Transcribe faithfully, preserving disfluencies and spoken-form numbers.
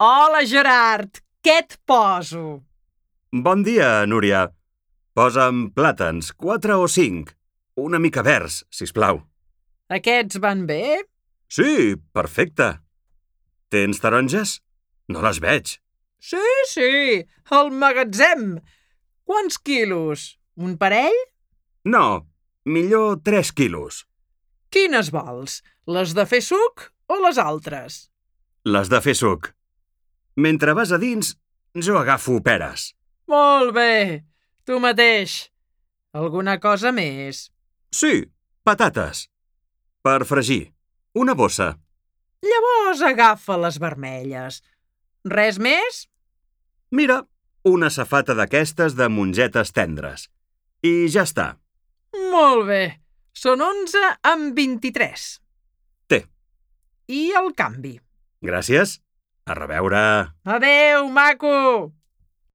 Hola, Gerard! Què et poso? Bon dia, Núria. Posa'm plàtans, quatre o cinc. Una mica verds, sisplau. Aquests van bé? Sí, perfecte. Tens taronges? No les veig. Sí, sí, al magatzem. Quants quilos? Un parell? No, millor tres quilos. Quines vols? Les de fer suc o les altres? Les de fer suc. Mentre vas a dins, jo agafo peres. Molt bé, tu mateix. Alguna cosa més? Sí, patates. Per fregir. Una bossa. Llavors agafa les vermelles. Res més? Mira, una safata d'aquestes de mongetes tendres. I ja està. Molt bé. Són onze amb vint-i-tres. Té. I el canvi? Gràcies. A reveure. Adéu, maco!